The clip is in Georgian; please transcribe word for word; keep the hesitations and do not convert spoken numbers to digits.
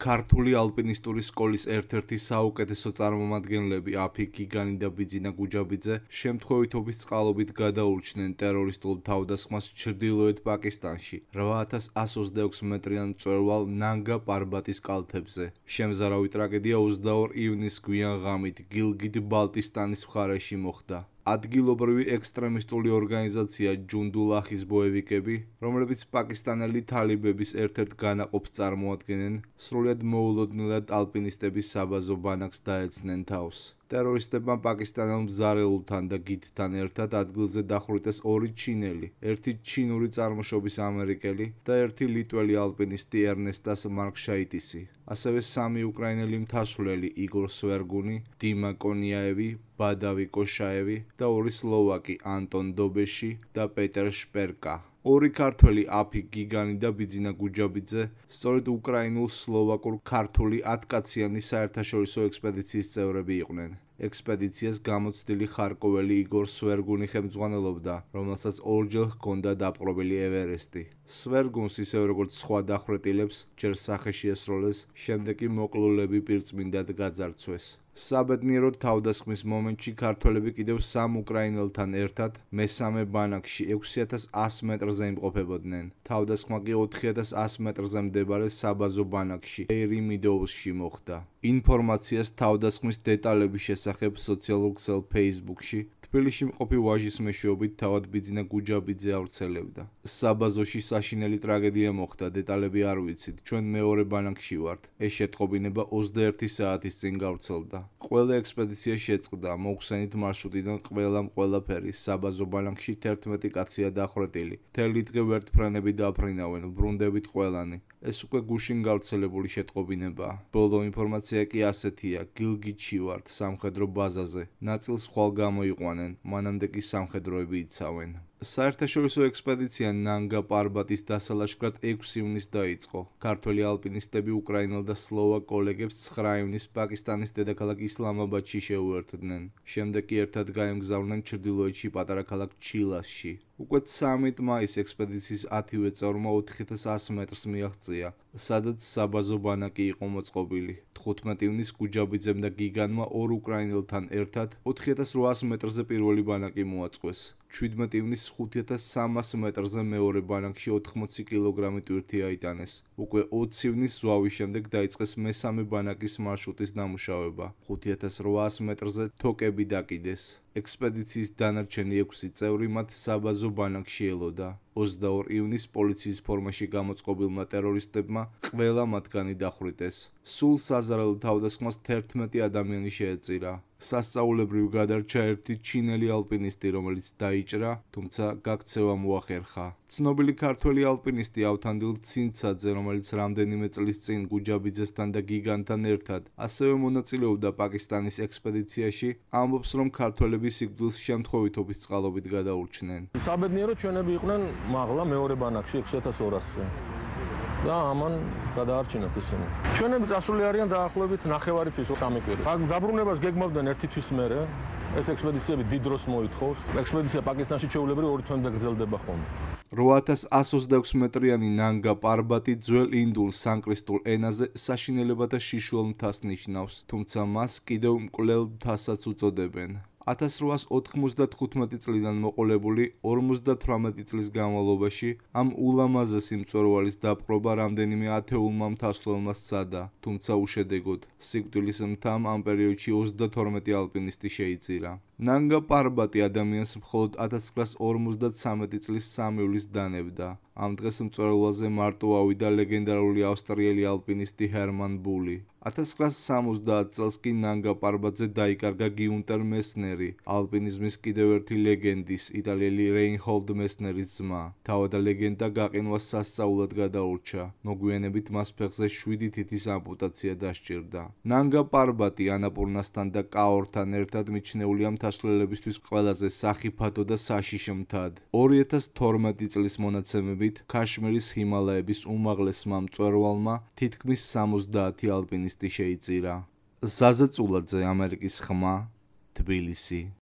ქართული ალპინისტური სკოლის ერთ-ერთი საუკეთესო წარმომადგენლები აფი გიგანი და ბიძინა გუჯაბიძე შემთხვევითობის წყალობით გადაურჩნენ ტერორისტულ თავდასხმას ჩრდილოეთ პაკისტანში რვა ათას ათს ოცდაექვსი მეტრიან მწვერვალ ნანგა პარბატის კალთებზე. შემზარავი ტრაგედია ოცდაორი ივნისს გვიან ღამით გილგიტ-ბალტისტანის მხარეში მოხდა. ადგილობრივი ექსტრემისტული ორგანიზაცია ჯუნდულაჰის ბოევიკები, რომლებიც პაკისტანელი თალიბების ერთ-ერთ განაყოფს წარმოადგენენ, სრულიად მოულოდნელად ალპინისტების საბაზო ბანაკს დაეცნენ თავს. ტერორისტებმა პაკისტანელ მზარეულთან და გიდთან ერთად ადგილზე დახვრიტეს ორი ჩინელი, ერთი ჩინური წარმოშობის ამერიკელი და ერთი ლიტველი ალპინისტი ერნესტას მარკშაიტისი. ასევე სამი უკრაინელი მთასვლელი იგორ სვერგუნი, დიმა კონიაევი, ბადავი კოშაევი და ორი სლოვაკი ანტონ დობეში და პეტერ შპერკა. ორი ქართველი აფი გიგანი და ბიძინა გუჯაბიძე სწორედ უკრაინულ-სლოვაკურ ქართული ათკაციანი საერთაშორისო ექსპედიციის წევრები იყვნენ. ექსპედიციას გამოცდილი ხარკოველი იგორ სვერგუნი ხელმძღვანელობდა, რომელსაც ორჯერ ჰქონდა დაპყრობილი ევერესტი. სვერგუნს ისევე როგორც სხვა დახვრეტილებს ჯერ სახეში ესროლეს, შემდეგ კი მოკლულები პირწმინდად გაძარცვეს. საბედნიეროდ თავდასხმის მომენტში ქართველები კიდევ სამ უკრაინელთან ერთად მესამე ბანაკში ექვსი ათას ასი მეტრზე იმყოფებოდნენ. თავდასხმა კი ოთხი ათას ასი მეტრზე მდებარე საბაზო ბანაკში ეირიმიდოუსში მოხდა. ინფორმაციას თავდასხმის დეტალების შესახებ სოციალურ ქსელ Facebook-ში თბილისში მყოფი ვაჟის მეშვეობით თავად ბიძინა გუჯაბიძე ავრცელებდა. საბაზოში საშინელი ტრაგედია მოხდა, დეტალები არ ვიცით, ჩვენ მეორე ბანაკში ვართ. ეს შეტყობინება ოცდაერთი საათის წინ გავრცელდა. ყველა ექსპედიცია შეწყდა, მოგვხსენით მარშრუტიდან ყველამ ყველაფერი, საბაზო ბანაკში თერთმეტი კაცია დახვრეტილი. მთელი დღე ვერტმფრენები დაფრინავენ, ბრუნდებით ყველანი. ეს უკვე გუშინ გავრცელებული შეტყობინებაა. ბოლო ინფორმაცია კი ასეთია: გილგიტში ვართ, სამხედრო ბაზაზე. ნაწილს ხვალ გამოიყვანენ, მანამდე კი სამხედროები იცავენ. საერთაშორისო ექსპედიცია ნანგა პარბატის დასალაშქრად ექვსი ივნისს დაიწყო. ქართველი ალპინისტები უკრაინელ და სლოვაკ კოლეგებს ცხრა ივნისს პაკისტანის დედაქალაქ ისლამაბადში შეუერთდნენ. შემდეგ კი ერთად გაემგზავრნენ ჩრდილოეთში პატარა ქალაქ ჩილასში. უკვე ცამეტ მაისს ექსპედიციის ათივე წევრმა ოთხი ათას ასი მეტრს მიაღწია, სადაც საბაზო ბანაკი იყო მოწყობილი. თხუთმეტი ივნისს გუჯაბიძემ და გიგანმა ორ უკრაინელთან ერთად ოთხი ათას რვაასი მეტრზე პირველი ბანაკი მოაწყვეს. შვიდმეტი ივნისს ხუთი ათას სამასი მეტრზე მეორე ბანაკში ოთხმოცი კილოგრამი ტვირთი აიტანეს. უკვე ოცი ივნისს ზვავის შემდეგ დაიწყეს მესამე ბანაკის მარშრუტის დამუშავება. ხუთი ათას რვაასი მეტრზე თოკები დაკიდეს. ექსპედიციის დანარჩენი ექვსი წევრი მათ საბაზო ბანაკში ელოდა. ოცდაორი ივნისს პოლიციის ფორმაში გამოწყობილმა ტერორისტებმა ყველა მათგანი დახვრიტეს. სულ საზარელ თავდასხმას თერთმეტი ადამიანი შეეწირა. სასწაულებრივ გადარჩა ერთი ჩინელი ალპინისტი, რომელიც დაიჭრა, თუმცა გაქცევა მოახერხა. ცნობილი ქართველი ალპინისტი ავთანდილ ცინცაძე, რომელიც რამდენიმე წლის წინ გუჯაბიძესთან და გიგანთან ერთად ასევე მონაწილეობდა პაკისტანის ექსპედიციაში, ამბობს, რომ ქართველები სიკვდილს შემთხვევითობის წყალობით გადაურჩნენ. საბედნიეროდ ჩვენები იყვნენ მაღლა მეორე ბანაკში ექვსი ათას ორასზე. და ამან გადაარჩინათ ისინი. ჩვენები წასული არიან დაახლოებით ნახევარი თვის სამი კვირი. დაბრუნებას გეგმავდნენ ერთი თვის მერე. ეს ექსპედიციები დიდ დროს მოითხოვს. ექსპედიცია პაკისტანში ჩვეულებრივ ორი თვემდე გრძელდება ხოლმე. რვა ათას ათს ოცდაექვსი მეტრიანი ნანგა პარბატი ძველ ინდურ სანკრისტულ ენაზე საშინელებათა შიშველ მთას ნიშნავს, თუმცა მას კიდევ მკვლელ მთასაც უწოდებენ. ათას რვაასი ოთხმოცდათხუთმეტი წლიდან მოყოლებული ორმოცდათვრამეტი წლის განმავლობაში ამ ულამაზესი მწვერვალის დაპყრობა რამდენიმე ათეულმა მთასვლელმა სცადა, თუმცა უშედეგოდ. სიკვდილის მთამ ამ პერიოდში ოცდათორმეტი ალპინისტი შეიწირა. ნანგა პარბატი ადამიანს მხოლოდ ათას ცხრაასი ორმოცდათვრამეტი წლის სამი ივლისს დანებდა. ამ დღეს მწვერვალზე მარტო ავიდა ლეგენდარული ავსტრიელი ალპინისტი ჰერმან ბული. ათას ცხრაასი სამოცდაათი წელს კი ნანგა პარბატზე დაიკარგა გიუნტერ მესნერი, ალპინიზმის კიდევ ერთი ლეგენდის, იტალიელი რეინჰოლდ მესნერის ძმა. თავადა ლეგენდა გაყინვას სასწაულად გადაურჩა. მოგვიანებით მას ფეხზე შვიდი თითის ამპუტაცია დასჭირდა. ნანგა პარბატი ანაპურნასთან და კაორთან ერთად მიჩნეულია მთასვლელებისთვის ყველაზე სახიფათო და საშიშ მთად. ორი ათას თორმეტი წლის მონაცემებით ქაშმირის ჰიმალაების უმაღლესმა მწვერვალმა თითქმის სამოცდაათი ალპინისტი შეიწირა. ზაზა წულაძე, ამერიკის ხმა, თბილისი.